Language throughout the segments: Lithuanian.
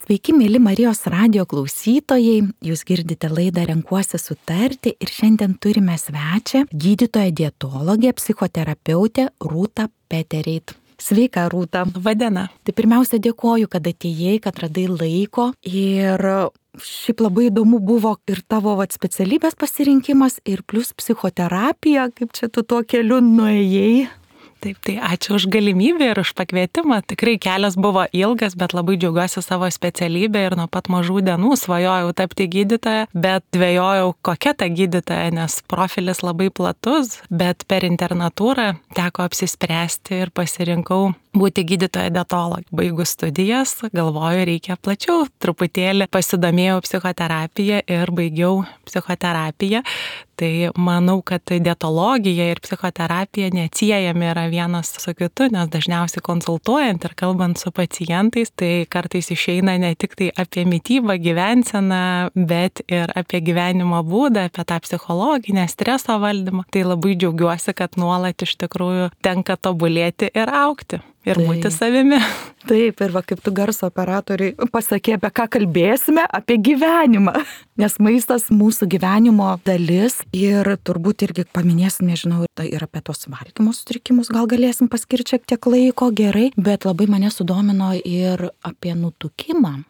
Sveiki, mėly Marijos radijo klausytojai, jūs girdite laidą Renkuosi sutarti ir šiandien turime svečią gydytoją dietologę, psichoterapeutę Rūtą Petereit. Sveika, Rūta. Vadina. Tai pirmiausia dėkoju, kad atėjai, kad radai laiko ir šiaip labai įdomu buvo ir tavo specialybės pasirinkimas ir plus psichoterapija, kaip čia tu tuo keliu nuėjai. Taip, tai ačiū už galimybę ir už pakvietimą. Tikrai kelias buvo ilgas, bet labai džiaugiuosi savo specialybę ir nuo pat mažų dienų svajojau tapti gydytoja, bet dvejojau, kokia ta gydytoja, nes profilis labai platus, bet per internatūrą teko apsispręsti ir pasirinkau būti gydytoja dietologė. Baigus studijas, galvoju, reikia plačiau, truputėlį pasidomėjau psichoterapiją ir baigiau psichoterapiją. Tai manau, kad dietologija ir psichoterapija neatsiejami yra vienas su kitu, nes dažniausiai konsultuojant ir kalbant su pacientais, tai kartais išeina ne tik tai apie mitybą, gyvenseną, bet ir apie gyvenimo būdą, apie tą psichologinę streso valdymą. Tai labai džiaugiuosi, kad nuolat iš tikrųjų tenka tobulėti ir augti. Ir būti savimi. Taip, ir kaip tu garso operatoriai pasakė, apie ką kalbėsime, apie gyvenimą. Nes maistas mūsų gyvenimo dalis ir turbūt irgi paminėsim, nežinau, ir apie tos valgymo sutrikimus gal galėsim paskirti šiek tiek laiko, gerai, bet labai mane sudomino ir apie nutukimą,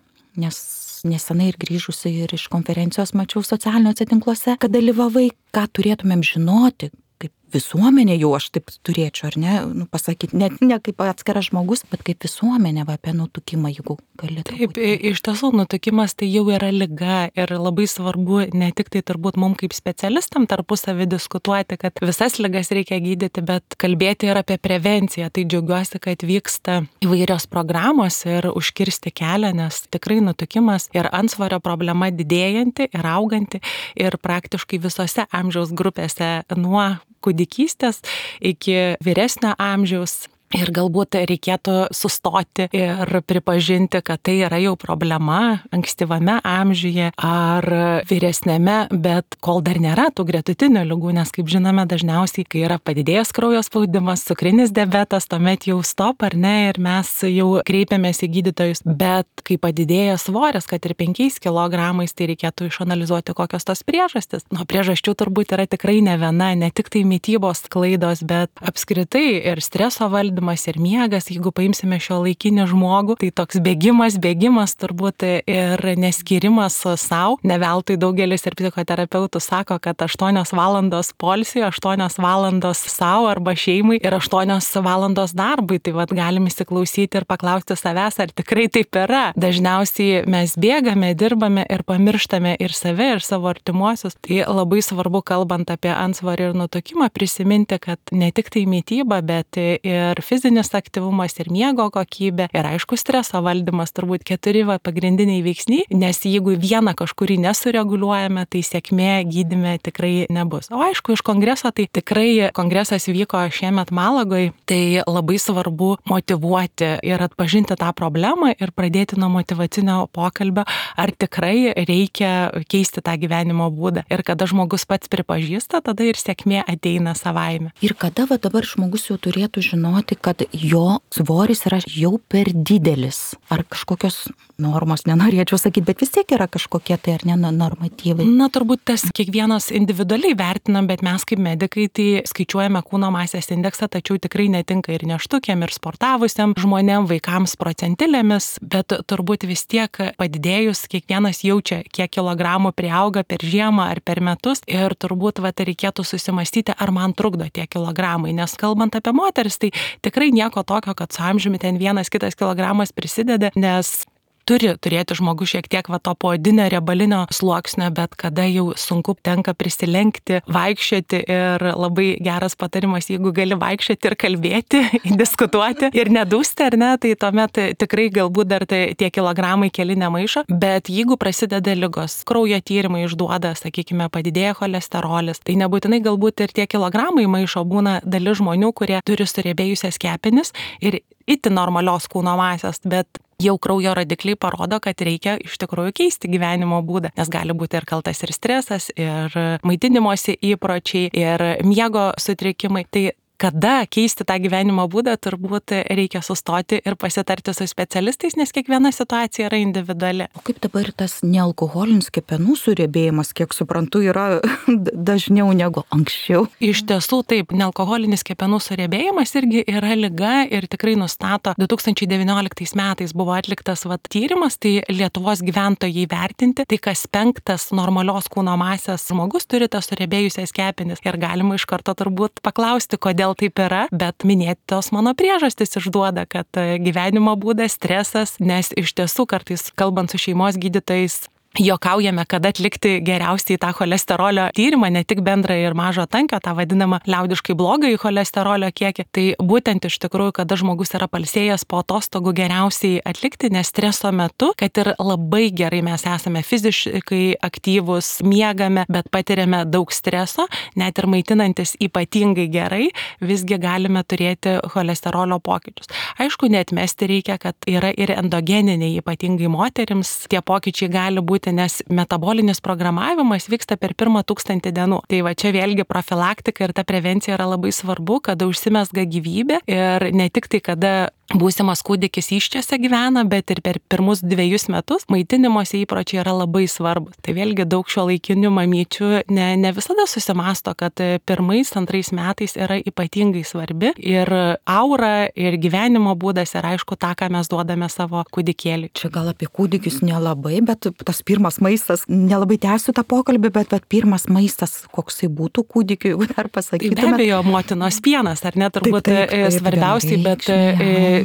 nes nesenai ir grįžusi ir iš konferencijos mačiau socialiniuose tinkluose, kad dalyvavai, ką turėtumėm žinoti, kaip visuomenė jau aš taip turėčiau, ar ne, pasakyti, ne kaip atskiras žmogus, bet kaip visuomenė apie nutukimą, jeigu gali. Taip, iš tiesų nutukimas tai jau yra liga ir labai svarbu ne tik tai turbūt mums kaip specialistam tarpusavį diskutuoti, kad visas ligas reikia gydyti, bet kalbėti ir apie prevenciją. Tai džiaugiuosi, kad vyksta įvairios programos ir užkirsti kelią, nes tikrai nutukimas ir antsvorio problema didėjanti ir auganti ir praktiškai visose amžiaus grupėse nuo kūdikystės iki vyresnio amžiaus. Ir galbūt reikėtų sustoti ir pripažinti, kad tai yra jau problema ankstyvame amžiuje ar vyresnėme, bet kol dar nėra tų gretutinių ligų, nes kaip žinome dažniausiai, kai yra padidėjęs kraujo spaudimas, cukrinis diabetas, tuomet jau stop ar ne ir mes jau kreipiamės į gydytojus, bet kai padidėja svoris, kad ir 5 kilogramais, tai reikėtų išanalizuoti, kokios tos priežastys. Nuo priežasčių turbūt yra tikrai ne viena, ne tik tai mitybos klaidos, bet apskritai ir streso valdymas ir miegas, jeigu paimsime šio laikinį žmogų, tai toks bėgimas turbūt ir neskirimas savo. Ne veltui daugelis ir psichoterapeutų sako, kad 8 valandos poilsiui, 8 valandos savo arba šeimai ir 8 valandos darbui. Tai galim įsiklausyti ir paklausti savęs, ar tikrai taip yra. Dažniausiai mes bėgame, dirbame ir pamirštame ir save, ir savo artimuosius. Tai labai svarbu, kalbant apie antsvorį ir nutukimą, prisiminti, kad ne tik tai mityba, bet ir fizinis aktyvumas ir miego kokybė ir aišku streso valdymas turbūt 4 pagrindiniai veiksniai, nes jeigu vieną kažkurį nesureguliuojame, tai sėkmė gydyme tikrai nebus. O aišku, iš kongreso, tai tikrai kongresas vyko šiemet Malagoje, tai labai svarbu motyvuoti ir atpažinti tą problemą ir pradėti nuo motyvacinio pokalbio, ar tikrai reikia keisti tą gyvenimo būdą. Ir kada žmogus pats pripažįsta, tada ir sėkmė ateina savaime. Ir kada dabar žmogus jau turėtų žinoti, kad jo svoris yra jau per didelis. Ar kažkokios normos, nenorėčiau sakyti, bet vis tiek yra kažkokie tai ar ne normatyvai. Na, turbūt tas kiekvienas individualiai vertinam, bet mes kaip medikai tai skaičiuojame kūno masės indeksą, tačiau tikrai netinka ir nėštukiam, ir sportavusiam žmonėm, vaikams procentilėmis, bet turbūt vis tiek padidėjus kiekvienas jaučia, kiek kilogramų priauga per žiemą ar per metus ir turbūt reikėtų susimastyti, ar man trukdo tie kilogramai, nes kalbant apie moteris, tai tikrai nieko tokio, kad su amžiumi ten 1-2 kilogramas prisideda, nes turi turėti žmogus šiek tiek to poodinio riebalinio sluoksnio, bet kada jau sunku tenka prisilenkti, vaikščioti ir labai geras patarimas, jeigu gali vaikščioti ir kalbėti, diskutuoti ir nedūsti, ar ne, tai tuomet tikrai galbūt dar tie kilogramai keli nemaišo, bet jeigu prasideda ligos, kraujo tyrimai išduoda, sakykime, padidėja cholesterolis, tai nebūtinai galbūt ir tie kilogramai maišo, būna dalis žmonių, kurie turi suriebėjusias kepenis ir itin normalios kūno masės, bet jau kraujo rodikliai parodo, kad reikia iš tikrųjų keisti gyvenimo būdą, nes gali būti ir kaltas ir stresas, ir maitinimosi įpročiai, ir miego sutrikimai. Tai kada keisti tą gyvenimo būdą, turbūt reikia sustoti ir pasitarti su specialistais, nes kiekviena situacija yra individuali. O kaip dabar tas nealkoholinis kepenų suriebėjimas, kiek suprantu, yra dažniau negu anksčiau? Iš tiesų taip, nealkoholinis kepenų suriebėjimas irgi yra liga ir tikrai nustato 2019 metais buvo atliktas tyrimas, tai Lietuvos gyventojai vertinti, tai kas 5 normalios kūno masės žmogus turi tas suriebėjusias kepenis. Ir galima iš karto turbūt paklausti, kodėl taip yra, bet minėtos mano priežastys išduoda, kad gyvenimo būdas, stresas, nes iš tiesų kartais kalbant su šeimos gydytojais, juokaujame, kada atlikti geriausiai tą cholesterolio tyrimą, ne tik bendrą ir mažo tankio, tą vadinamą liaudiškai blogąjį cholesterolio kiekį. Tai būtent iš tikrųjų, kada žmogus yra pailsėjęs po atostogų geriausiai atlikti, nes streso metu, kad ir labai gerai mes esame fiziškai aktyvūs, miegame, bet patiriame daug streso, net ir maitinantis ypatingai gerai, visgi galime turėti cholesterolio pokyčius. Aišku, neatmesti reikia, kad yra ir endogeniniai, ypatingai moterims, tie pokyčiai gali būti, nes metabolinis programavimas vyksta per pirmą 1000 dienų. Tai va čia vėlgi profilaktika ir ta prevencija yra labai svarbu, kada užsimezga gyvybė ir ne tik tai, kada būsimas kūdikis įsčiose gyvena, bet ir per pirmus 2 metus maitinimosi įpročiai yra labai svarbus. Tai vėlgi daug šiuolaikinių mamyčių ne visada susimąsto, kad 1-2 metais yra ypatingai svarbi ir aura, ir gyvenimo būdas, ir aišku tą, ką mes duodame savo kūdikėliui. Čia gal apie kūdikius nelabai, bet tas pirmas maistas, nelabai tęsiu tą pokalbį, bet pirmas maistas, koksai būtų kūdikiui, jeigu dar pasakytume. Be abejo, motinos pienas, ar ne, turbūt svarbiausiai, bet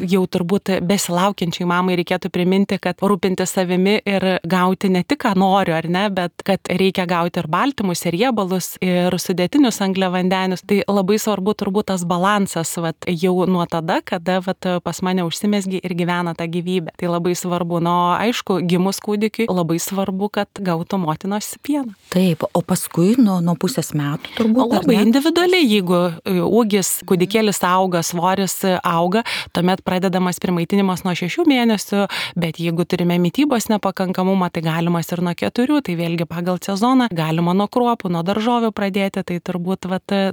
jau turbūt besilaukiančiai mamai reikėtų priminti, kad rūpinti savimi ir gauti ne tik, ką noriu, ar ne, bet kad reikia gauti ir baltymus, ir riebalus, ir sudėtinius angliavandenius. Tai labai svarbu turbūt tas balansas, jau nuo tada, kada pas mane užsimezgi ir gyvena ta gyvybė. Tai labai svarbu. Aišku, gimus kūdikiui labai svarbu, kad gautų motinos pieną. Taip, o paskui nuo pusės metų turbūt. Labai individualiai, jeigu ūgis, kūdikėlis auga, svoris auga, tuomet pradedamas primaitinimas nuo 6 mėnesių, bet jeigu turime mitybos nepakankamumą, tai galimas ir nuo 4, tai vėlgi pagal sezoną galima nuo kruopų, nuo daržovių pradėti, tai turbūt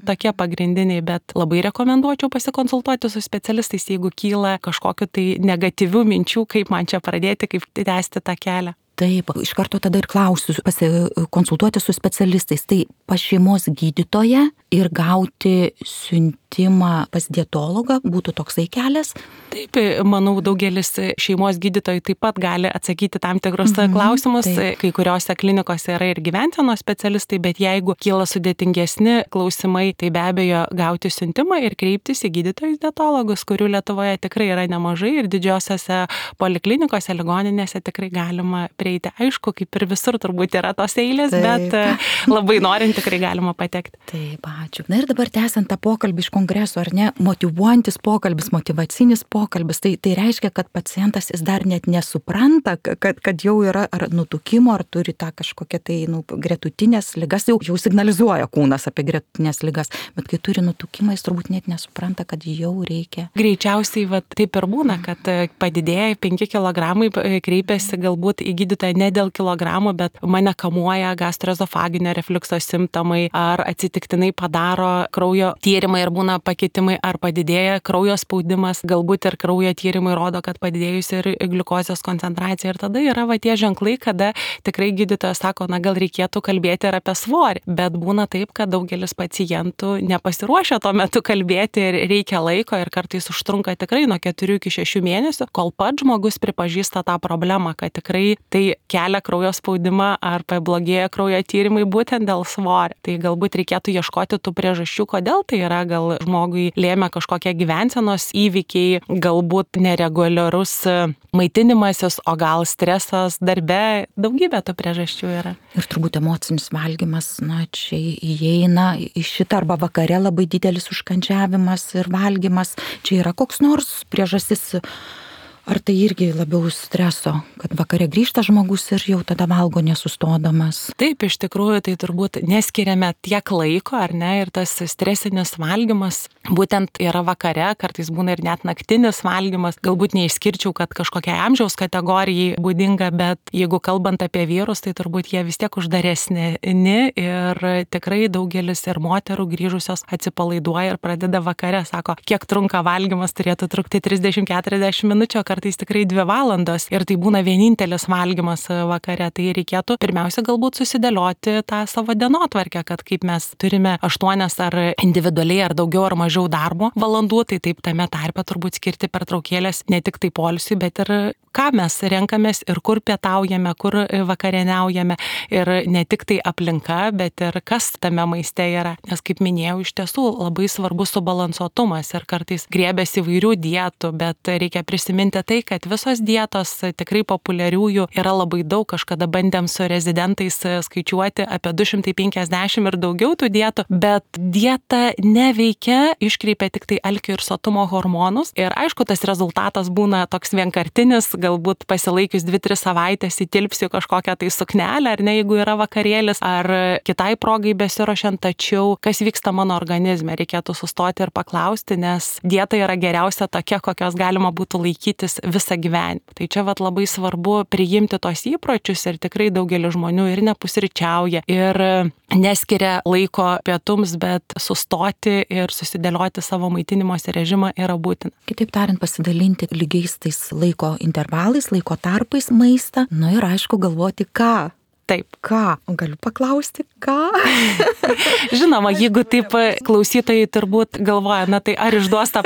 tokie pagrindiniai, bet labai rekomenduočiau pasikonsultuoti su specialistais, jeigu kyla kažkokiu tai negatyvių minčių, kaip man čia pradėti, kaip tęsti tą kelią. Taip, iš karto tada ir klausiu, pasikonsultuoti su specialistais. Tai pas šeimos gydytoją ir gauti siuntimą pas dietologą būtų toksai kelias? Taip, manau, daugelis šeimos gydytojų taip pat gali atsakyti tam tikrus klausimus. Taip. Kai kuriuose klinikose yra ir gyvensenos specialistai, bet jeigu kyla sudėtingesni klausimai, tai be abejo gauti siuntimą ir kreiptis į gydytojus dietologus, kurių Lietuvoje tikrai yra nemažai ir didžiosiose poliklinikose, ligoninėse tikrai galima prieiti. Aišku, kaip ir visur turbūt yra tos eilės, taip, bet labai norint tikrai galima patekti. Taip, ačiū. Na ir dabar tęsiant tą pokalbį iš kongreso, ar ne, motyvuojantis pokalbis, motyvacinis pokalbis, tai reiškia, kad pacientas jis dar net nesupranta, kad jau yra ar nutukimo, ar turi tą kažkokią tai gretutinės ligas, jau signalizuoja kūnas apie gretutinės ligas, bet kai turi nutukimą, jis turbūt net nesupranta, kad jau reikia. Greičiausiai taip ir būna, kad padidėja 5 kg, kreipiasi galbūt į gydytoją ne dėl kilogramų, bet mane kamuoja gastroezofaginio refliukso simptomai, ar atsitiktinai padaro kraujo tyrimai ir būna pakitimai, ar padidėja kraujo spaudimas, galbūt ir kraujo tyrimai rodo, kad padidėjusi ir gliukozės koncentracija. Ir tada yra tie ženklai, kada tikrai gydytojas sako, gal reikėtų kalbėti ir apie svorį. Bet būna taip, kad daugelis pacientų nepasiruošia tuo metu kalbėti ir reikia laiko ir kartais užtrunka tikrai nuo 4 iki 6 mėnesių, kol pats žmogus pripažįsta tą problemą, kad tikrai tai kelia kraujo spaudimą ar pablogėja kraujo tyrimai būtent dėl svorio. Tai galbūt reikėtų ieškoti tų priežasčių, kodėl tai yra, gal žmogui lėmė kažkokie gyvensenos įvykiai, galbūt nereguliarus maitinimasis, o gal stresas darbe, daugybė tų priežasčių yra. Ir turbūt emocinis valgymas, čia įeina į šitą, arba vakare labai didelis užkandžiavimas ir valgymas. Čia yra koks nors priežastis, Ar tai irgi labiau streso, kad vakare grįžta žmogus ir jau tada valgo nesustodamas? Taip, iš tikrųjų, tai turbūt neskiriame tiek laiko, ar ne, ir tas stresinis valgymas būtent yra vakare, kartais būna ir net naktinis valgymas. Galbūt neišskirčiau, kad kažkokia amžiaus kategorijai būdinga, bet jeigu kalbant apie vyrus, tai turbūt jie vis tiek uždaresni ir tikrai daugelis ir moterų grįžusios atsipalaiduoja ir pradeda vakare, sako, kiek trunka valgymas, turėtų trukti 30-40 minučių, kartais tikrai 2 valandos ir tai būna vienintelis valgymas vakare. Tai reikėtų pirmiausia galbūt susidėlioti tą savo dienotvarkę, kad kaip mes turime 8 ar individualiai ar daugiau ar mažiau darbo valandų, tai taip tame tarpe turbūt skirti pertraukėlės ne tik tai poilsiui, bet ir ką mes renkamės ir kur pietaujame, kur vakarieniaujame ir ne tik tai aplinka, bet ir kas tame maiste yra. Nes kaip minėjau, iš tiesų labai svarbus subalansuotumas ir kartais griebėsi įvairių dietų, bet reikia prisiminti tai, kad visos dietos tikrai populiariųjų yra labai daug. Kažkada bandėm su rezidentais skaičiuoti apie 250 ir daugiau tų dietų, bet dieta neveikia, iškreipia tik tai alkio ir sotumo hormonus ir aišku, tas rezultatas būna toks vienkartinis, galbūt pasilaikius 2-3 savaitės įtilpsiu kažkokią tai suknelę, ar ne, jeigu yra vakarėlis, ar kitai progai besiruošiant, tačiau kas vyksta mano organizme, reikėtų sustoti ir paklausti, nes dieta yra geriausia tokia, kokios galima būtų laikytis visą gyvenimą. Tai čia labai svarbu priimti tos įpročius ir tikrai daugelis žmonių ir nepusryčiauja, ir neskiria laiko pietums, bet sustoti ir susidėlioti savo maitinimosi režimą yra būtina. Kitaip tariant, pasidalinti lygiais tais laiko intervalais, laiko tarpais maistą, ir aišku galvoti, ką. Taip. Ką? Galiu paklausti, ką? Žinoma, jeigu taip klausytojai turbūt galvoja, tai ar išduos tą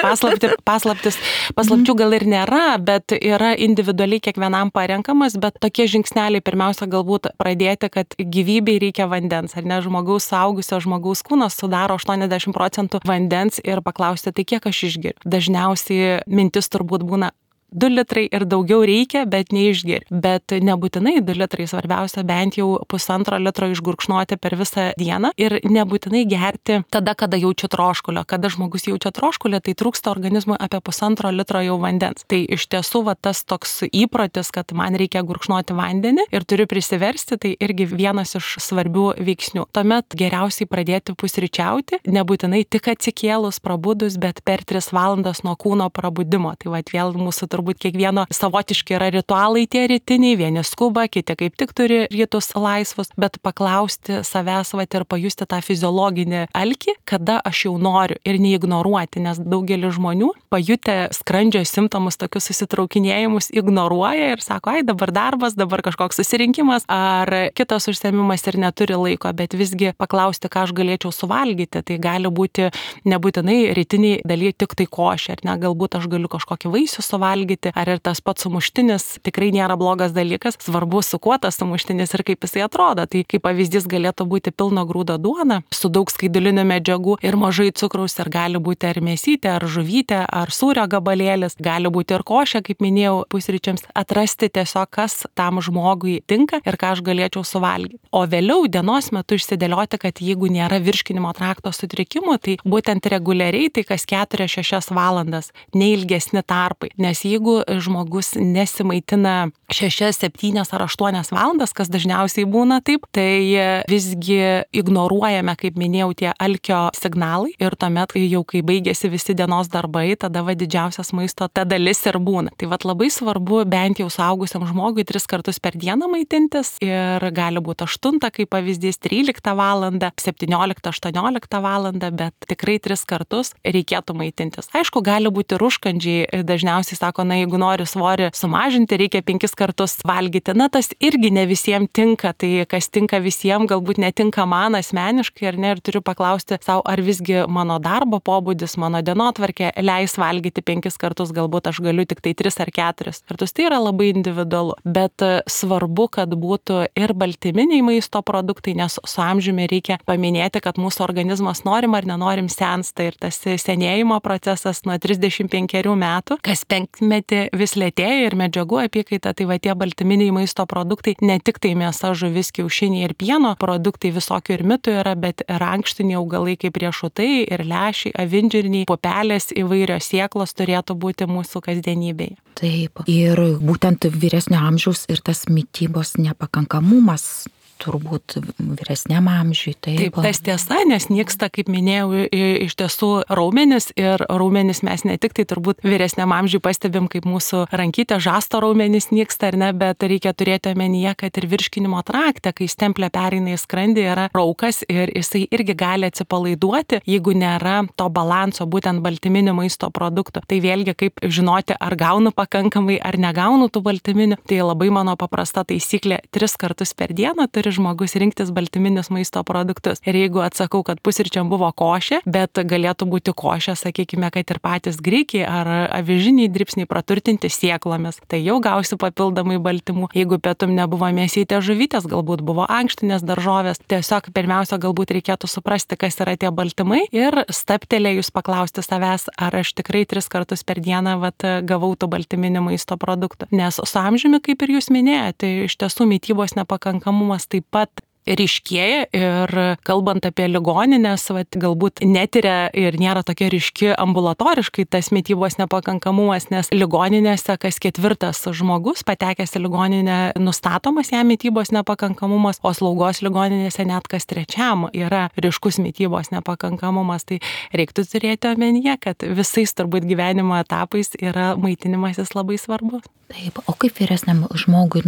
paslapčių gal ir nėra, bet yra individualiai kiekvienam parenkamas, bet tokie žingsneliai pirmiausia galbūt pradėti, kad gyvybei reikia vandens, ar ne, suaugusio žmogaus kūnas sudaro 80% vandens ir paklausti, tai kiek aš išgeriu. Dažniausiai mintis turbūt būna 2 litrai ir daugiau reikia, bet neišgeri. Bet nebūtinai 2 litrai, svarbiausia bent jau 1,5 litro išgurkšnoti per visą dieną ir nebūtinai gerti tada, kada jaučiu troškulio. Kada žmogus jaučia troškulį, tai trūksta organizmui apie 1,5 litro jau vandens. Tai iš tiesų tas toks įprotis, kad man reikia gurkšnoti vandenį ir turiu prisiversti, tai irgi vienas iš svarbių veiksnių. Tuomet geriausiai pradėti pusryčiauti, nebūtinai tik atsikėlus, prabudus, bet per 3 valandas nuo kūno prabudimo. Tai vėl mūsų turbūt kiekvieno savotiški yra ritualai tie rytiniai, vieni skuba, kiti kaip tik turi rytus laisvus, bet paklausti savęs ir pajusti tą fiziologinį alkį, kada aš jau noriu ir neignoruoti, nes daugelis žmonių pajutę skrandžio simptomus, tokius susitraukinėjimus, ignoruoja ir sako, dabar darbas, dabar kažkoks susirinkimas ar kitas užsiėmimas ir neturi laiko, bet visgi paklausti, ką aš galėčiau suvalgyti, tai gali būti nebūtinai rytiniai daly tik tai košė, ar ne, galbūt aš galiu kažkokį vaisių suvalgyti, ar ir tas pats sumuštinis tikrai nėra blogas dalykas, svarbu su kuo tas sumuštinis ir kaip jisai atrodo. Tai kaip pavyzdys galėtų būti pilno grūdo duona su daug skaidulinių medžiagų ir mažai cukraus, ir gali būti ar mėsytė, ar žuvytė, ar sūrio gabalėlis, gali būti ir košė, kaip minėjau, pusryčiams, atrasti tiesiog, kas tam žmogui tinka ir ką aš galėčiau suvalgyti. O vėliau dienos metu išsidėlioti, kad jeigu nėra virškinimo trakto sutrikimų, tai būtent reguliariai, tai kas 4-6 valandas, neilgesni tarpai, nes jeigu žmogus nesimaitina 6, 7 ar 8 valandas, kas dažniausiai būna taip, tai visgi ignoruojame, kaip minėjau, tie alkio signalai ir tuomet jau kai baigėsi visi dienos darbai, tada didžiausias maisto ta dalis ir būna. Tai labai svarbu bent jau suaugusiam žmogui 3 kartus per dieną maitintis ir gali būti 8, kaip pavyzdys, 13 valandą, 17, 18 valandą, bet tikrai 3 kartus reikėtų maitintis. Aišku, gali būti ir užkandžiai, dažniausiai sako, jeigu nori svorį sumažinti, reikia 5 kartus valgyti. Tas irgi ne visiems tinka, tai kas tinka visiems, galbūt netinka man asmeniškai, ar ne, ir turiu paklausti savo, ar visgi mano darbo pobūdis, mano dienotvarkė leis valgyti 5 kartus, galbūt aš galiu tik tai 3 ar 4 kartus. Tai yra labai individualu, bet svarbu, kad būtų ir baltyminiai maisto produktai, nes su amžiumi reikia paminėti, kad mūsų organizmas norim ar nenorim sensta ir tas senėjimo procesas nuo 35 metų, kas 5 dešimtmetį vis lėtėja ir medžiagų apykaita, tai va tie baltyminiai maisto produktai, ne tik tai mėsa, žuvis, kiaušiniai ir pieno produktai, visokių ir mitų yra, bet ir ankštiniai augalai kaip riešutai ir lęšiai, avinžirniai, pupelės, įvairios sėklos turėtų būti mūsų kasdienybėje. Taip, ir būtent vyresnio amžiaus ir tas mitybos nepakankamumas turbūt vyresniam amžiui. Taip, tas tiesa, nes nyksta, kaip minėjau, iš tiesų raumenis ir raumenis mes ne tik tai turbūt vyresniam amžiui pastebim, kaip mūsų rankytė žasto raumenis nyksta ar ne, bet reikia turėti omenyje, kad ir virškinimo trakte, kai stemplė pereina į skrandį, yra raukas ir jisai irgi gali atsipalaiduoti, jeigu nėra to balanso būtent baltyminių maisto produktų. Tai vėlgi kaip žinoti, ar gaunu pakankamai, ar negaunu tų baltyminių, tai labai mano paprasta taisyklė 3 kartus per dieną turi žmogus rinktis baltyminius maisto produktus. Ir jeigu atsakau, kad pusryčiam buvo košė, bet galėtų būti košė, sakykime, kad ir patys grikiai ar avižiniai dribsniai praturtinti sėklomis, tai jau gausiu papildomai baltymų. Jeigu pietum nebuvo mėsytė žuvytės, galbūt buvo ankštinės daržovės, tiesiog pirmiausia galbūt reikėtų suprasti, kas yra tie baltymai ir stabtelėjus paklausti savęs, ar aš tikrai 3 kartus per dieną gavau tų baltyminių maisto produktų. Nes su amžiumi, kaip ir jūs minėjote, iš tiesų mitybos nepakankamumas taip pat ryškėja ir kalbant apie ligoninės, galbūt netiria ir nėra tokia ryški ambulatoriškai tas mitybos nepakankamumas, nes ligoninėse kas 4 žmogus patekęs į ligoninę nustatomas jam mitybos nepakankamumas, o slaugos ligoninėse net kas 3 yra ryškus mitybos nepakankamumas. Tai reiktų turėti omenyje, kad visais turbūt gyvenimo etapais yra maitinimasis labai svarbus. Taip, o kaip vyresniam žmogui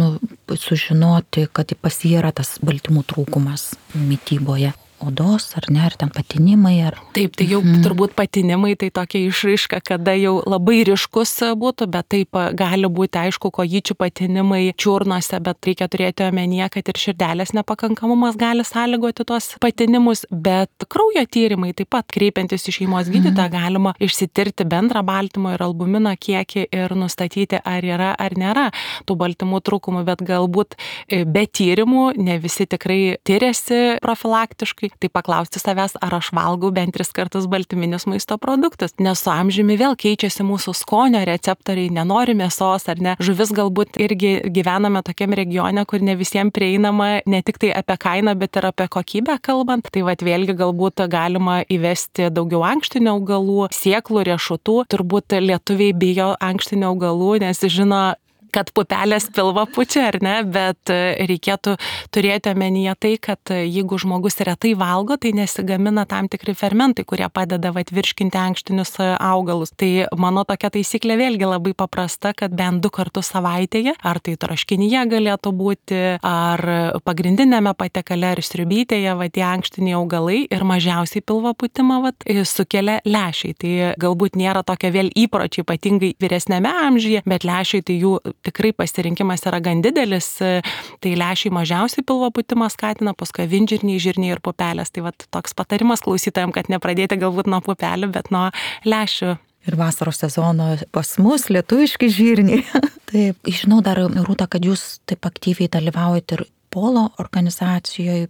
sužinoti, kad pas jį yra tas baltymų trūkumas mityboje? Odos, ar ne, ar ten patinimai, ar... Taip, tai jau turbūt patinimai, tai tokia išraiška, kada jau labai ryškus būtų, bet taip gali būti, aišku, kojyčių patinimai čiurnose, bet reikia turėti omenyje, kad ir širdelės nepakankamumas gali sąlygoti tuos patinimus, bet kraujo tyrimai taip pat, kreipiantis į šeimos gydytoją, galima išsitirti bendrą baltymo ir albumino kiekį ir nustatyti, ar yra ar nėra tų baltymų trūkumų, bet galbūt be tyrimų ne visi tikrai tyriasi profilaktiškai. Tai paklausti savęs, ar aš valgau bent 3 kartus baltyminius maisto produktus, nes su amžiumi vėl keičiasi mūsų skonio receptoriai, nenori mėsos ar ne. Žuvis galbūt irgi gyvename tokiam regione, kur ne visiems prieinama ne tik tai apie kainą, bet ir apie kokybę kalbant. Tai vėlgi galbūt galima įvesti daugiau ankštinių augalų, sėklų, riešutų. Turbūt lietuviai bijo ankštinių augalų, nes žino, kad pupelės pilvą pučia, ar ne, bet reikėtų turėti omenyje tai, kad jeigu žmogus retai valgo, tai nesigamina tam tikri fermentai, kurie padeda virškinti ankštinius augalus. Tai mano tokia taisyklė vėlgi labai paprasta, kad bent 2 kartus savaitėje, ar tai troškinyje galėtų būti, ar pagrindinėme patiekale, ar sriubytėje, tie ankštiniai augalai ir mažiausiai pilvo pūtimą sukelia lęšiai. Tai galbūt nėra tokia vėl įpročiai, ypatingai vyresnėme amžiuje, bet lęšiai tai jų tikrai pasirinkimas yra gan didelis, tai lęšiai mažiausiai pilvo pūtimą skatina, paskui avinžirniai, žirniai ir pupelės. Tai toks patarimas klausytojams, kad nepradėti galbūt nuo pupelių, bet nuo lęšių. Ir vasaros sezono pas mus lietuviški žirniai. Taip, žinau dar, Rūta, kad jūs taip aktyviai dalyvaujate ir Polo organizacijoje,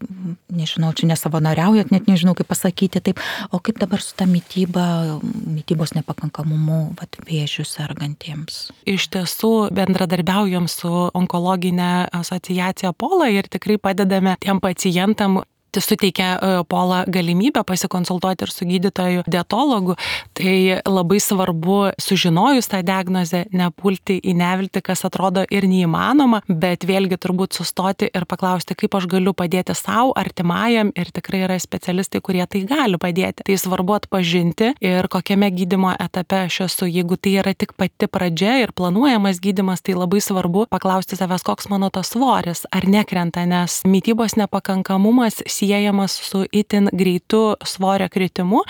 nežinau, čia nesavanoriaujat, net nežinau, kaip pasakyti taip, o kaip dabar su ta mitybos nepakankamumu vėžių sergantiems? Iš tiesų bendradarbiaujam su onkologinė asociacija Pola ir tikrai padedame tiem pacientam. Suteikia Pola galimybę pasikonsultuoti ir su gydytoju dietologu, tai labai svarbu sužinojus tą diagnozę nepulti į neviltį, kas atrodo ir neįmanoma, bet vėlgi turbūt sustoti ir paklausti, kaip aš galiu padėti savo, artimajam, ir tikrai yra specialistai, kurie tai gali padėti. Tai svarbu atpažinti ir kokiame gydymo etape aš esu. Jeigu tai yra tik pati pradžia ir planuojamas gydymas, tai labai svarbu paklausti savęs, koks mano tas svoris, ar nekrenta, nes mitybos nepakankamumas siejamas su itin greitu svorio kritimu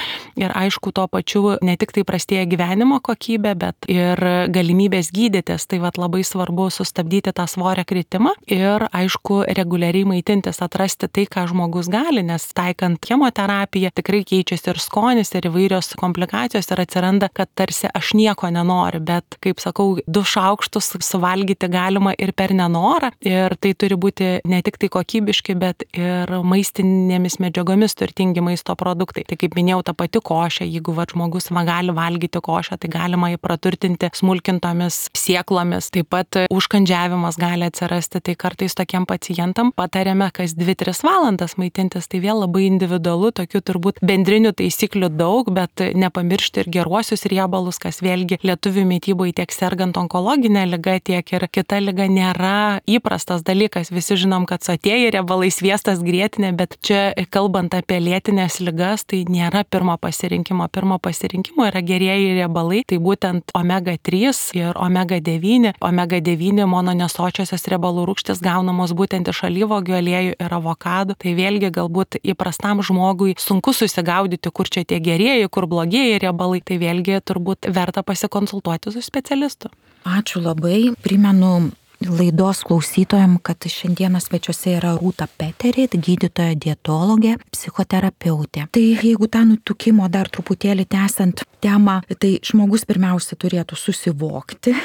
ir aišku tuo pačiu ne tik tai prastėja gyvenimo kokybė, bet ir galimybės gydytis. Tai labai svarbu sustabdyti tą svorio kritimą ir aišku reguliariai maitintis, atrasti tai, ką žmogus gali, nes taikant chemoterapiją tikrai keičiasi ir skonis, ir įvairios komplikacijos ir atsiranda, kad tarsi aš nieko nenoriu, bet kaip sakau, 2 šaukštus suvalgyti galima ir per nenorą ir tai turi būti ne tik tai kokybiški, bet ir maistiniai maistinėmis medžiagomis turtingi maisto produktai. Tai kaip minėjau, ta pati košė, jeigu žmogus gali valgyti košę, tai galima jį praturtinti smulkintomis sėklomis. Taip pat užkandžiavimas gali atsirasti, tai kartais tokiem pacientam patariame kas 2-3 valandas maitintis, tai vėl labai individualu, tokių turbūt bendrinių taisyklių daug, bet nepamiršti ir geruosius riebalus, kas vėlgi lietuvių mitybai tiek sergant onkologinę ligą, tiek ir kita liga nėra įprastas dalykas. Visi žinom, kad sotieji riebalai, sviestas, grietinė, bet čia kalbant apie lėtinės ligas, tai nėra pirmo pasirinkimo. Pirmo pasirinkimo yra gerieji riebalai, tai būtent omega-3 ir omega-9. Omega-9 mononesočiosios riebalų rūgštys gaunamos būtent iš alyvuogių aliejų ir avokadų. Tai vėlgi galbūt įprastam žmogui sunku susigaudyti, kur čia tie gerieji, kur blogieji riebalai. Tai vėlgi turbūt verta pasikonsultuoti su specialistu. Ačiū labai. Primenu laidos klausytojams, kad šiandieną svečiuose yra Rūta Peterit, gydytoja dietologė, psichoterapeutė. Tai jeigu tą nutukimo dar truputėlį tęsiant temą, tai žmogus pirmiausia turėtų susivokti,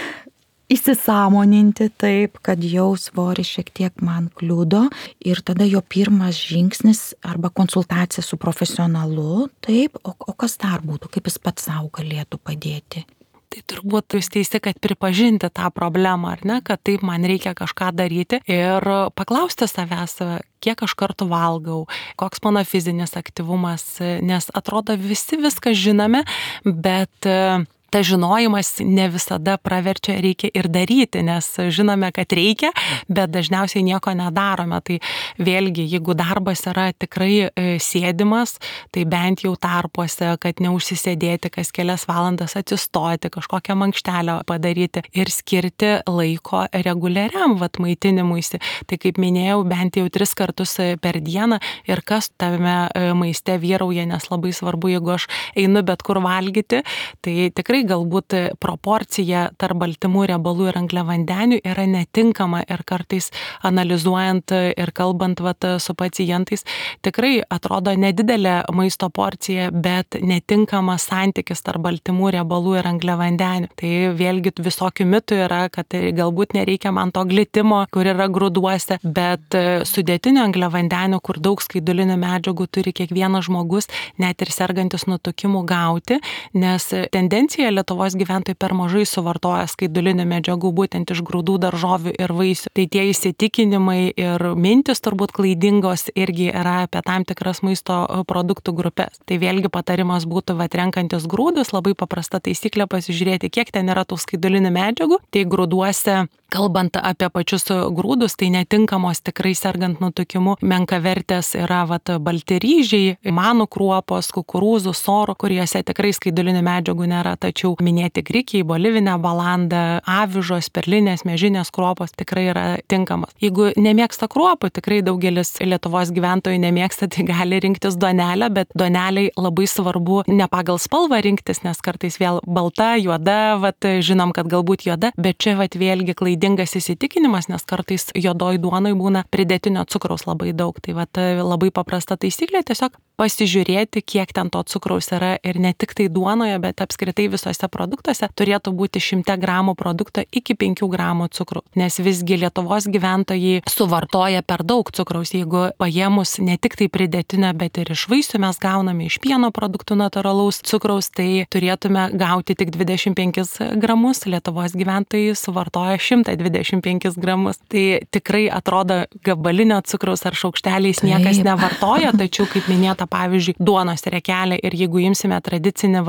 įsisąmoninti taip, kad jau svoris šiek tiek man kliudo ir tada jo pirmas žingsnis arba konsultacija su profesionalu, taip, o kas dar būtų, kaip jis pats savo galėtų padėti? Tai turbūt jūs teisi, kad pripažinti tą problemą, ar ne, kad taip man reikia kažką daryti ir paklausti savęs, kiek aš kartų valgau, koks mano fizinis aktyvumas, nes atrodo visi viską žinome, bet ta žinojimas ne visada praverčia, reikia ir daryti, nes žinome, kad reikia, bet dažniausiai nieko nedarome. Tai vėlgi, jeigu darbas yra tikrai sėdimas, tai bent jau tarpuose, kad neužsisėdėti kas kelias valandas atsistoti, kažkokią mankštelę padaryti ir skirti laiko reguliariam maitinimuisi. Tai kaip minėjau, bent jau 3 kartus per dieną ir kas tame maiste vyrauja, nes labai svarbu, jeigu aš einu bet kur valgyti, tai tikrai galbūt proporcija tarp baltymų, riebalų ir angliavandenių yra netinkama ir kartais analizuojant ir kalbant su pacientais, tikrai atrodo nedidelė maisto porcija, bet netinkamas santykis tarp baltymų, riebalų ir angliavandenių. Tai vėlgi visokių mitų yra, kad galbūt nereikia man to glitimo, kur yra grūduose, bet sudėtinių angliavandenių, kur daug skaidulinių medžiagų turi kiekvienas žmogus, net ir sergantis nutukimu gauti, nes tendencija Lietuvos gyventojai per mažai suvartoja skaidulinių medžiagų būtent iš grūdų, daržovių ir vaisių. Tai tie įsitikinimai ir mintis turbūt klaidingos irgi yra apie tam tikras maisto produktų grupės. Tai vėlgi patarimas būtų renkantis grūdus, labai paprasta taisyklė pasižiūrėti, kiek ten yra tų skaidulinių medžiagų. Tai grūduose, kalbant apie pačius grūdus, tai netinkamos tikrai sergant nutukimu menkavertės yra balti ryžiai, manų kruopos, kukurūzų, sorų, kuriuose tikrai skaidulinių medžiagų nėra, tačiau minėti grikiai, bolivinė balanda, avižos, perlinės, miežinės kruopos tikrai yra tinkamas. Jeigu nemėgsta kruopų, tikrai daugelis Lietuvos gyventojų nemėgsta, tai gali rinktis duonelę, bet duoneliai labai svarbu ne pagal spalvą rinktis, nes kartais vėl balta, juoda, žinom, kad galbūt juoda, bet čia vėlgi klaidingas įsitikinimas, nes kartais juodoj duonoj būna pridėtinio cukraus labai daug. Tai labai paprasta taisyklė, tiesiog pasižiūrėti, kiek ten to cukraus yra ir ne tik tai duonoje, bet apskritai visose produktuose turėtų būti 100 gramų produkto iki 5 gramų cukraus, nes visgi Lietuvos gyventojai suvartoja per daug cukraus. Jeigu paėmus ne tik tai pridėtinę, bet ir iš vaisių mes gauname iš pieno produktų natūralaus cukraus, tai turėtume gauti tik 25 gramus, Lietuvos gyventojai suvartoja 125 gramus. Tai tikrai atrodo gabalinio cukraus ar šaukšteliais niekas nevartoja, tačiau kaip minėta, pavyzdžiui, duonos riekelė ir jeigu imsime tradicinį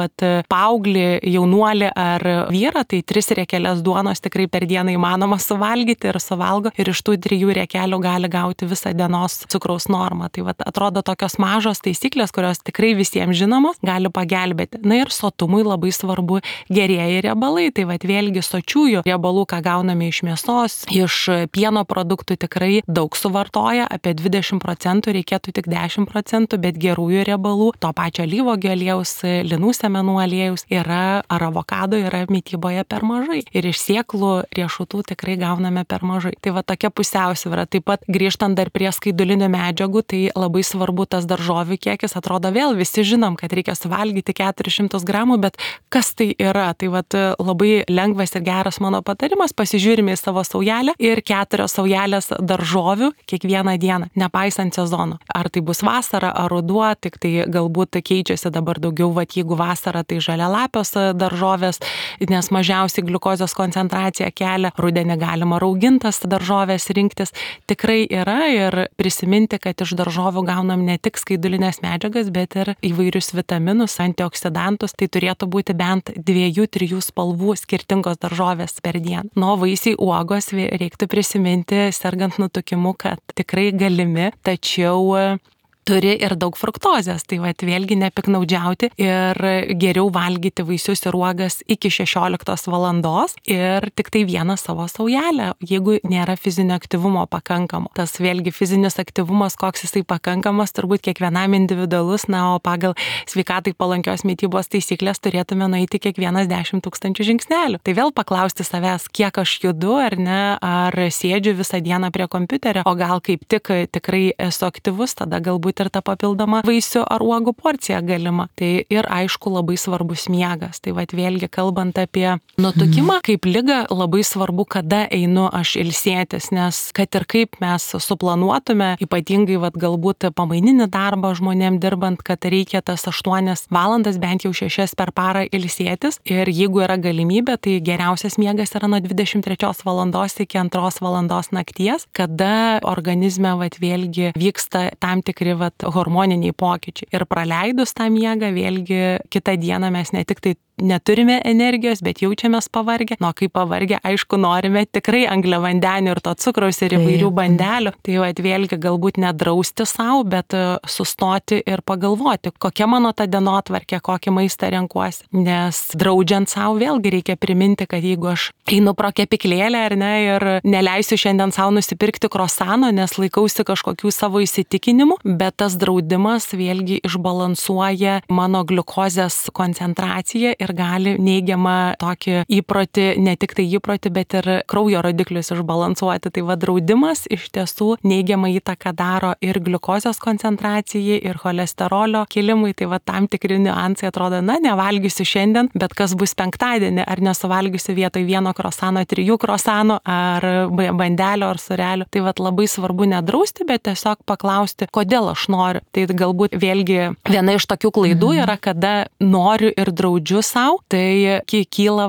paauglį, jaunuolį ar vyrą, tai 3 riekelės duonos tikrai per dieną įmanoma suvalgyti ir suvalgo ir iš tų 3 riekelių gali gauti visą dienos cukraus normą. Tai atrodo tokios mažos taisyklės, kurios tikrai visiems žinomos, gali pagelbėti. Na ir sotumui labai svarbu gerieji riebalai, tai vėlgi sočiųjų riebalų, ką gauname iš mėsos, iš pieno produktų tikrai daug suvartoja, apie 20%, reikėtų tik 10%, bet gerųjų riebalų, to pačio alyvuogių aliejaus, linų sėmenų aliejaus ar avokado yra mytyboje per mažai. Ir iš sėklų riešutų tikrai gauname per mažai. Tai va tokia pusiausvyra. Taip pat grįžtant dar prie skaidulinių medžiagų, tai labai svarbu tas daržovių kiekis. Atrodo vėl visi žinom, kad reikia suvalgyti 400 gramų, bet kas tai yra? Tai va labai lengvas ir geras mano patarimas, pasižiūrime į savo saujelę ir 4 saujelės daržovių kiekvieną dieną, nepaisant sezono. Ar tai bus vasara, ar ruduo, tik tai galbūt keičiasi dabar daugiau, jeigu vasara, tai žalialapios daržovės, nes mažiausiai gliukozės koncentracija kelia, rudenį galima raugintas daržovės rinktis. Tikrai yra ir prisiminti, kad iš daržovių gaunam ne tik skaidulinės medžiagas, bet ir įvairius vitaminus, antioksidantus, tai turėtų būti bent 2-3 spalvų skirtingos daržovės per dieną. Nuo vaisiai, uogos reiktų prisiminti, sergant nutukimu, kad tikrai galimi, tačiau turi ir daug fruktozės, tai vėlgi nepiknaudžiauti ir geriau valgyti vaisius ir uogas iki 16 valandos ir tik tai vieną savo saujelę, jeigu nėra fizinio aktyvumo pakankamo. Tas vėlgi fizinis aktyvumas, koks jisai pakankamas, turbūt kiekvienam individualus, o pagal sveikatai palankios mitybos taisyklės turėtume nueiti kiekvienas 10 000 žingsnelių. Tai vėl paklausti savęs, kiek aš judu ar ne, ar sėdžiu visą dieną prie kompiuterio, o gal kaip tik tikrai esu aktyvus, tada galbūt ir ta papildoma vaisių ar uogų porcija galima. Tai ir aišku labai svarbus miegas. Tai vėlgi kalbant apie nutukimą, kaip ligą, labai svarbu, kada einu aš ilsėtis, nes kad ir kaip mes suplanuotume, ypatingai galbūt pamaininį darbą žmonėm dirbant, kad reikia tas 8 valandas, bent jau 6 per parą ilsėtis. Ir jeigu yra galimybė, tai geriausias miegas yra nuo 23 valandos iki 2 valandos nakties, kada organizme vėlgi vyksta tam tikri hormoniniai pokyčiai. Ir praleidus tą miegą, vėlgi kitą dieną mes ne tik tai neturime energijos, bet jaučiamės pavargę. Kai pavargę, aišku, norime tikrai angliavandenių ir to cukraus ir įvairių bandelių. Tai vėlgi galbūt nedrausti savo, bet sustoti ir pagalvoti, kokia mano ta dienotvarkė, kokį maistą renkuosi. Nes draudžiant savo vėlgi reikia priminti, kad jeigu aš einu pro kepyklėlę ar ne ir neleisiu šiandien savo nusipirkti krosano, nes laikausi kažkokių savo įsitikinimų, bet tas draudimas vėlgi išbalansuoja mano gliukozės koncentraciją ir gali neigiamą tokį įprotį, ne tik tai įprotį, bet ir kraujo rodiklius išbalansuoti. Tai draudimas iš tiesų neigiamą įtaką daro ir gliukozės koncentracijai, ir cholesterolio kilimui. Tai tam tikri niuansai atrodo, nevalgysiu šiandien, bet kas bus penktadienį, ar nesuvalgysiu vietoj 1 krosano 3 krosanų, ar bandelio, ar surelio. Tai labai svarbu nedrausti, bet tiesiog paklausti, kodėl aš noriu. Tai galbūt vėlgi viena iš tokių klaidų yra, kada noriu ir draudžiu sau, tai kyla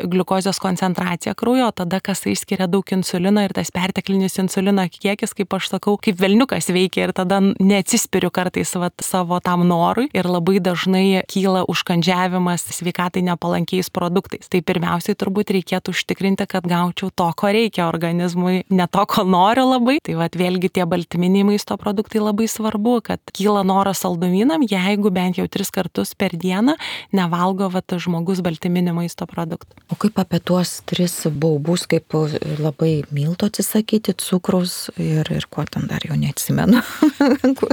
gliukozės koncentracija kraujo, tada kasai skiria daug insulino ir tas perteklinis insulino kiekis, kaip aš sakau, kaip velniukas veikia ir tada neatsispiriu kartais savo tam norui ir labai dažnai kyla užkandžiavimas sveikatai nepalankiais produktais. Tai pirmiausiai turbūt reikėtų užtikrinti, kad gaučiau to, ko reikia organizmui, ne to, ko noriu labai. Tai vėlgi tie baltyminiai maisto produktai labai svarbu, kad kyla noras saldumynam, jeigu bent jau 3 kartus per dieną nevalgo žmogus baltyminį maisto produktą. O kaip apie tuos 3 baubus, kaip labai milto atsisakyti, cukraus ir ko ten dar jau neatsimenu.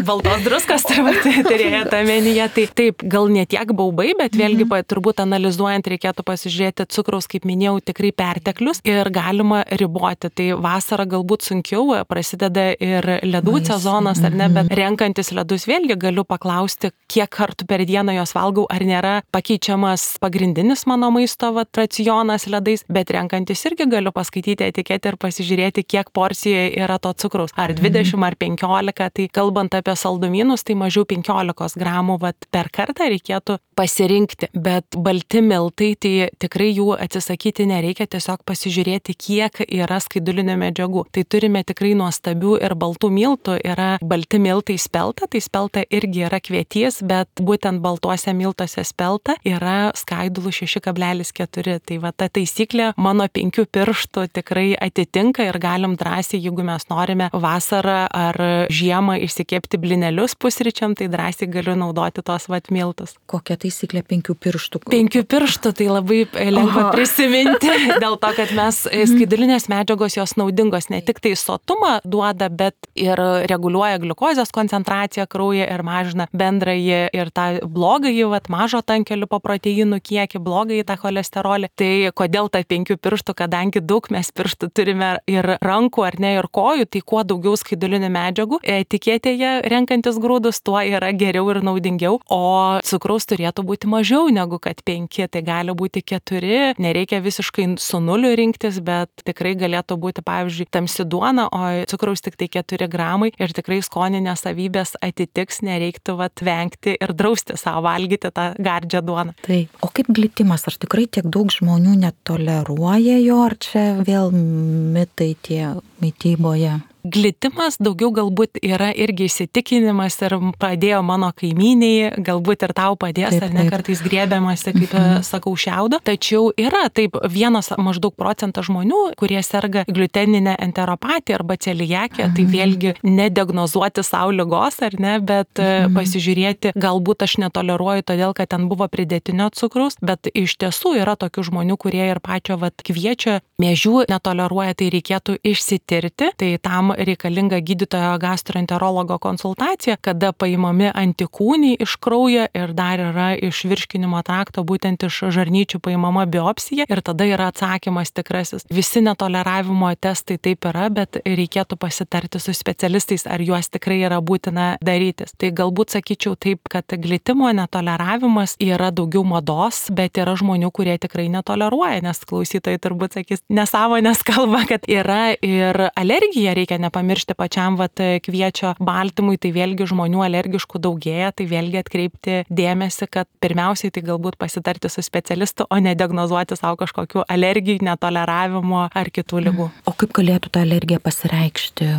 Baltos druskos turėjote omenyje. Tai taip, gal ne tiek baubai, bet vėlgi turbūt analizuojant reikėtų pasižiūrėti cukraus, kaip minėjau, tikrai perteklius ir galima riboti. Tai vasarą galbūt sunkiau, prasideda ir ledų sezonas, ar ne, bet renkantis ledus vėlgi galiu paklausti, kiek kartų per dieną jos valgau, ar nėra pakeičiamas pagrindinis mano maisto racionas ledais, bet renkantis irgi galiu paskaityti etiketę ir pasižiūrėti, kiek porcijoje yra to cukraus, ar 20 ar 15, tai kalbant apie saldumynus, tai mažiau 15 gramų per kartą reikėtų pasirinkti, bet balti miltai, tai tikrai jų atsisakyti nereikia, tiesiog pasižiūrėti, kiek yra skaidulinių medžiagų. Tai turime tikrai nuostabių ir baltų miltų, yra balti miltai spelta, tai spelta irgi yra kvietys, bet būtent baltuose miltuose spelta yra yra skaidulų 6,4. Tai va ta taisyklė mano 5 pirštų tikrai atitinka ir galim drąsiai, jeigu mes norime vasarą ar žiemą išsikepti blinelius pusryčiam, tai drąsiai galiu naudoti tos vat miltus. Kokia taisyklė 5 pirštų? 5 pirštų tai labai lengva prisiminti, dėl to, kad mes skaidulinės medžiagos jos naudingos ne tik tai sotumą duoda, bet ir reguliuoja gliukozės koncentraciją kraujyje ir mažina bendrąjį ir tą blogąjį, mažo tankio lipoproteinų kiekį, blogąjį tą cholesterolį. Tai kodėl ta 5 pirštų, kadangi daug mes pirštų turime ir rankų ar ne, ir kojų, tai kuo daugiau skaidulinių medžiagų etiketėje renkantis grūdus, tuo yra geriau ir naudingiau, o cukraus turėtų būti mažiau negu kad 5, tai gali būti 4, nereikia visiškai su 0 rinktis, bet tikrai galėtų būti, pavyzdžiui, tamsi duona, o cukraus tik tai 4 gramai ir tikrai skoninės savybės atitiks, nereiktų vengti ir drausti savo valgyti tą gardžią duoną. Taip. O kaip glitimas? Ar tikrai tiek daug žmonių netoleruoja jo, ar čia vėl mitai tie mityboje? Glitimas daugiau galbūt yra irgi įsitikinimas ir padėjo mano kaimyniai, galbūt ir tau padės, taip, ar ne, kartais griebiamasi, kaip sakau, šiaudo. Tačiau yra taip 1 maždaug procentas žmonių, kurie serga gliuteninę enteropatiją arba celiakiją, tai vėlgi nediagnozuoti savo ligos, ar ne, bet pasižiūrėti, galbūt aš netoleruoju todėl, kad ten buvo pridėtinio cukraus, bet iš tiesų yra tokių žmonių, kurie ir pačio kviečio miežių netoleruoja, tai reikėtų išsitirti, tai tam reikalinga gydytojo gastroenterologo konsultacija, kada paimami antikūniai iš kraujo ir dar yra iš virškinimo trakto, būtent iš žarnyčių paimama biopsija ir tada yra atsakymas tikrasis. Visi netoleravimo testai taip yra, bet reikėtų pasitarti su specialistais, ar juos tikrai yra būtina darytis. Tai galbūt sakyčiau taip, kad glitimo netoleravimas yra daugiau mados, bet yra žmonių, kurie tikrai netoleruoja, nes klausytojai turbūt sakys, nesąmonės kalba, kad yra ir alergija, reikia nepamiršti pačiam kviečio baltymui, tai vėlgi žmonių alergiškų daugėja, tai vėlgi atkreipti dėmesį, kad pirmiausiai tai galbūt pasitarti su specialistu, o ne diagnozuoti savo kažkokių alergijų, netoleravimo ar kitų ligų. O kaip galėtų ta alergija pasireikšti,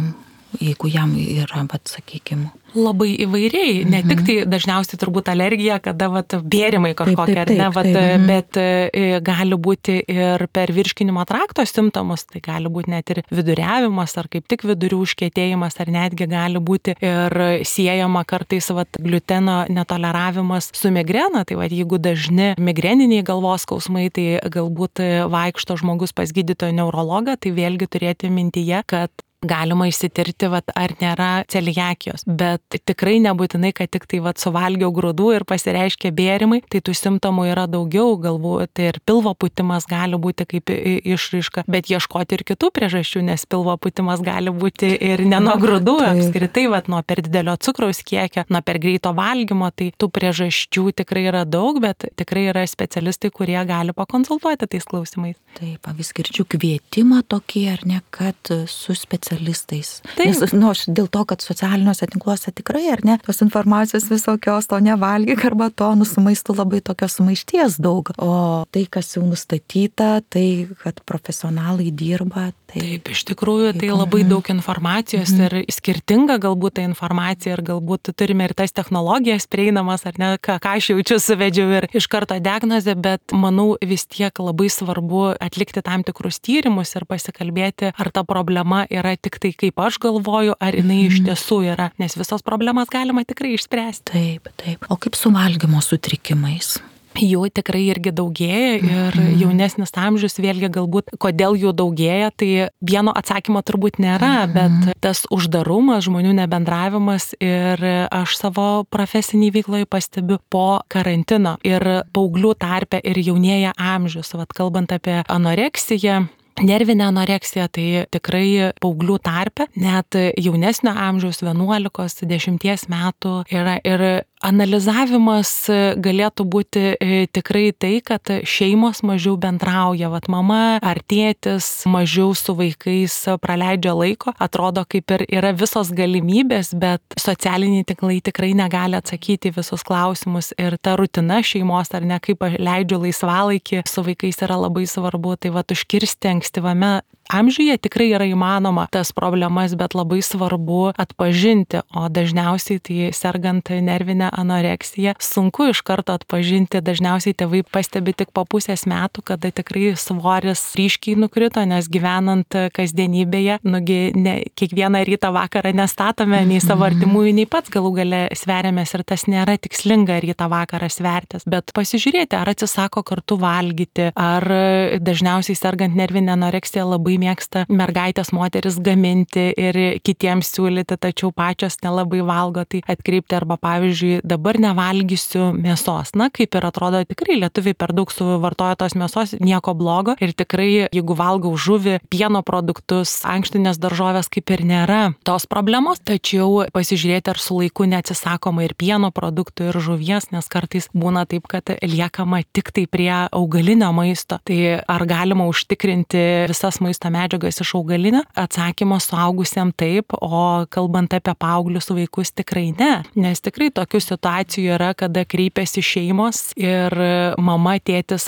jeigu jam yra, sakykime? Labai įvairiai, ne tik tai dažniausiai turbūt alergija, kada bėrimai kažkokie, ar ne, bet gali būti ir per virškinimo trakto simptomus, tai gali būti net ir viduriavimas, ar kaip tik vidurių užkietėjimas, ar netgi gali būti ir siejama kartais gliuteno netoleravimas su migrena, tai jeigu dažni migreniniai galvos skausmai, tai galbūt vaikšto žmogus pas gydytoją neurologą, tai vėlgi turėti mintyje, kad galima išsitirti, ar nėra celiakijos, bet tikrai nebūtinai, kad tik tai suvalgiau grūdų ir pasireiškia bėrimai, tai tų simptomų yra daugiau, galbūt tai ir pilvo pūtimas gali būti kaip išraiška, bet ieškoti ir kitų priežasčių, nes pilvo pūtimas gali būti ir ne nuo grūdų, apskritai, nuo per didelio cukraus kiekio, nuo per greito valgymo, tai tų priežasčių tikrai yra daug, bet tikrai yra specialistai, kurie gali pakonsultuoti tais klausimais. Taip, vis girdžiu kvietimą tokį, ar ne, kad su specialistais. Taip. Nes, aš dėl to, kad socialiniuose tinkluose tikrai, ar ne, tos informacijos visokios, to nevalgyk arba to, su maistu labai tokios sumaišties daug. O tai, kas jau nustatyta, tai, kad profesionalai dirba. Taip, iš tikrųjų, tai labai daug informacijos ir skirtinga galbūt ta informacija ir galbūt turime ir tas technologijas prieinamas, ar ne, ką aš jaučiu, suvedžiau ir iš karto diagnozę, bet manau vis tiek labai svarbu atlikti tam tikrus tyrimus ir pasikalbėti, ar ta problema yra tik tai kaip aš galvoju, ar jinai iš tiesų yra, nes visos problemas galima tikrai išspręsti. Taip, taip. O kaip su valgymo sutrikimais? Jų tikrai irgi daugėja ir jaunesnis amžius vėlgi galbūt, kodėl jų daugėja, tai vieno atsakymo turbūt nėra, bet tas uždarumas, žmonių nebendravimas ir aš savo profesinį veikloje pastebiu po karantino ir paauglių tarpe ir jaunėja amžius, kalbant apie anoreksiją. Nervinė anoreksija tai tikrai paauglių tarpe, net jaunesnio amžiaus 11-10 metų yra ir analizavimas galėtų būti tikrai tai, kad šeimos mažiau bendrauja, mama ar tėtis mažiau su vaikais praleidžia laiko, atrodo kaip ir yra visos galimybės, bet socialiniai tinklai tikrai negali atsakyti visus klausimus ir ta rutina šeimos ar ne, kaip leidžiu laisvalaikį su vaikais yra labai svarbu, tai užkirsti ankstyvame amžiuje tikrai yra įmanoma tas problemas, bet labai svarbu atpažinti, o dažniausiai tai sergant nervinę anoreksiją sunku iš karto atpažinti, dažniausiai tėvai pastebi tik po pusės metų, kada tikrai svoris ryškiai nukrito, nes gyvenant kasdienybėje, kiekvieną rytą vakarą nestatome nei savo artimųjų, nei pats galų gale sveriamės ir tas nėra tikslinga rytą vakarą svertis, bet pasižiūrėti, ar atsisako kartu valgyti, ar dažniausiai sergant nervinę anoreksiją labai mėgsta mergaitės moteris gaminti ir kitiems siūlyti, tačiau pačios nelabai valgo, tai atkreipti arba pavyzdžiui dabar nevalgysiu mėsos. Na, kaip ir atrodo, tikrai lietuviai per daug suvartoja tos mėsos, nieko blogo ir tikrai, jeigu valgau žuvį, pieno produktus, ankštinės daržovės, kaip ir nėra tos problemos, tačiau pasižiūrėti, ar su laiku neatsisakoma ir pieno produktų, ir žuvies, nes kartais būna taip, kad liekama tik tai prie augalinio maisto. Tai ar galima užtikrinti visas maisto medžiagas iš augalinio? Atsakymas suaugusiam taip, o kalbant apie paauglius vaikus tikrai ne, nes tikrai tokių situacijų yra, kada kreipiasi šeimos ir mama, tėtis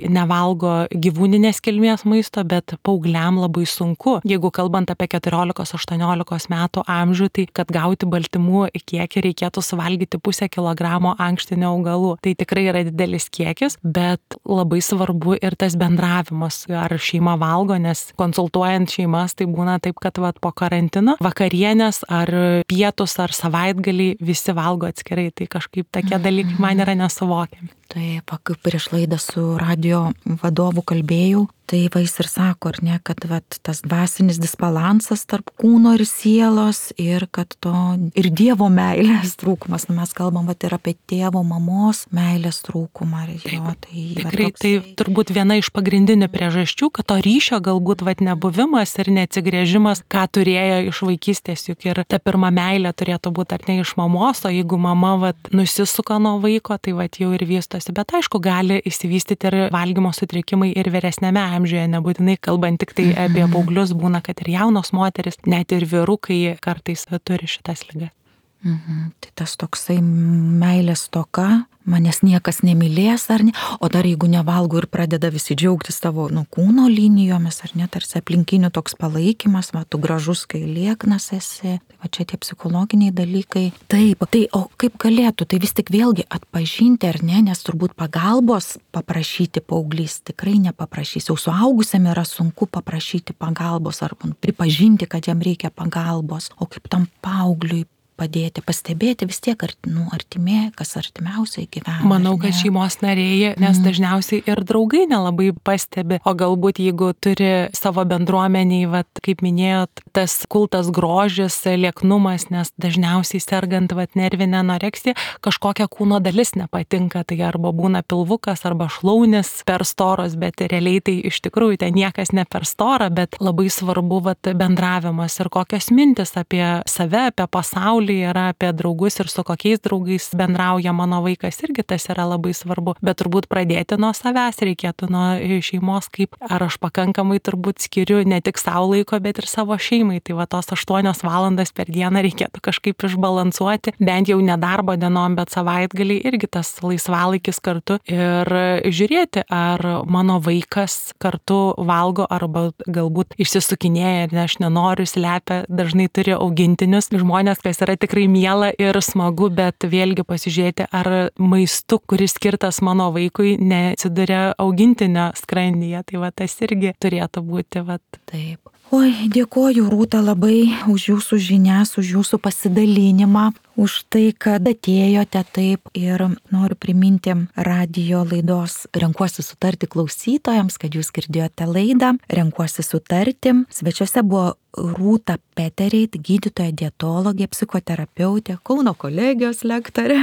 nevalgo gyvūninės kilmės maisto, bet paaugliam labai sunku. Jeigu kalbant apie 14-18 metų amžių, tai kad gauti baltymų kiekį reikėtų suvalgyti 0,5 kilogramo ankštinių augalų. Tai tikrai yra didelis kiekis, bet labai svarbu ir tas bendravimas, ar šeima valgo, nes konsultuojant šeimas, tai būna taip, kad po karantino vakarienės ar pietus ar savaitgalį visi valgo atskirai, tai kažkaip tokie dalykai man yra nesuvokiami. Taip, kaip prieš laidą su radio vadovu kalbėjau, tai jis ir sako, ar ne, kad tas dvasinis disbalansas tarp kūno ir sielos ir kad to ir Dievo meilės trūkumas. Mes kalbam ir apie tėvo, mamos meilės trūkumą. Tikrai tai turbūt viena iš pagrindinių priežasčių, kad to ryšio galbūt nebuvimas ir neatsigrėžimas, ką turėjo iš vaikystės, juk ir ta pirma meilė turėtų būti ar ne iš mamos, o jeigu mama nusisuka nuo vaiko, tai jau ir vystosi. Bet aišku, gali įsivystyti ir valgymo sutrikimai ir vyresnėme amžiuje, nebūtinai kalbant tik tai apie paauglius, būna, kad ir jaunos moteris, net ir vyrukai kartais turi šitas ligas. Tai tas toksai meilės stoka, manęs niekas nemylės, ar ne, o dar jeigu nevalgo ir pradeda visi džiaugtis savo kūno linijomis, ar ne, tarsi aplinkinių toks palaikymas, tu gražus, kai lieknas esi, tai čia tie psichologiniai dalykai. Taip, tai o kaip galėtų, tai vis tik vėlgi atpažinti, ar ne, nes turbūt pagalbos paprašyti paauglys tikrai nepaprašys, jau suaugusiam yra sunku paprašyti pagalbos ar pripažinti, kad jam reikia pagalbos, o kaip tam paaugliui padėti, pastebėti vis tiek artimė, kas artimiausiai gyvena. Manau, kad šeimos nariai, nes dažniausiai ir draugai nelabai pastebi, o galbūt jeigu turi savo bendruomeniai, kaip minėjot, tas kultas grožis, lieknumas, nes dažniausiai sergant nervinę anoreksiją, kažkokia kūno dalis nepatinka, tai arba būna pilvukas, arba šlaunis per storos, bet realiai tai iš tikrųjų ten niekas ne per stora, bet labai svarbu bendravimas ir kokios mintis apie save, apie pasaulį yra, apie draugus ir su kokiais draugais bendrauja mano vaikas, irgi tas yra labai svarbu, bet turbūt pradėti nuo savęs reikėtų, nuo šeimos, kaip ar aš pakankamai turbūt skiriu ne tik savo laiko, bet ir savo šeimai, tai tos 8 valandas per dieną reikėtų kažkaip išbalansuoti, bent jau ne darbo dienom, bet savaitgalį irgi tas laisvalaikis kartu ir žiūrėti, ar mano vaikas kartu valgo arba galbūt išsisukinėja, ir aš nenoriu, slepia, dažnai turi augintinius žmonės, kas yra tikrai miela ir smagu, bet vėlgi pasižiūrėti, ar maistu, kuris skirtas mano vaikui, neatsiduria augintinio skrandyje. Tai tas irgi turėtų būti. Taip. Oi, dėkoju Rūta labai už jūsų žinias, už jūsų pasidalinimą, už tai, kad atėjote taip ir noriu priminti radio laidos Renkuosi sutarti klausytojams, kad jūs girdėjote laidą Renkuosi sutarti. Svečiuose buvo Rūta Petereit, gydytoja dietologė, psichoterapeutė, Kauno kolegijos lektorė,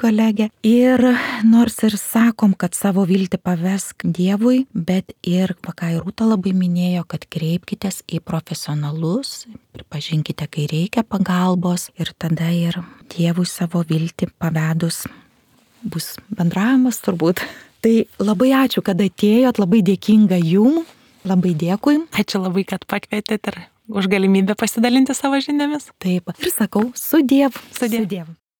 kolegė. Ir nors ir sakom, kad savo viltį pavesk Dievui, bet ir, ką ir Rūta labai minėjo, kad kreipkitės į profesionalus, pripažinkite, kai reikia pagalbos ir tada ir Dievui savo viltį pavedus bus bendravimas turbūt. Tai labai ačiū, kad atėjot, labai dėkinga jum, labai dėkui. Ačiū labai, kad pakvietėt ir už galimybę pasidalinti savo žiniomis. Taip, ir sakau, su Dievu. Su Dievu.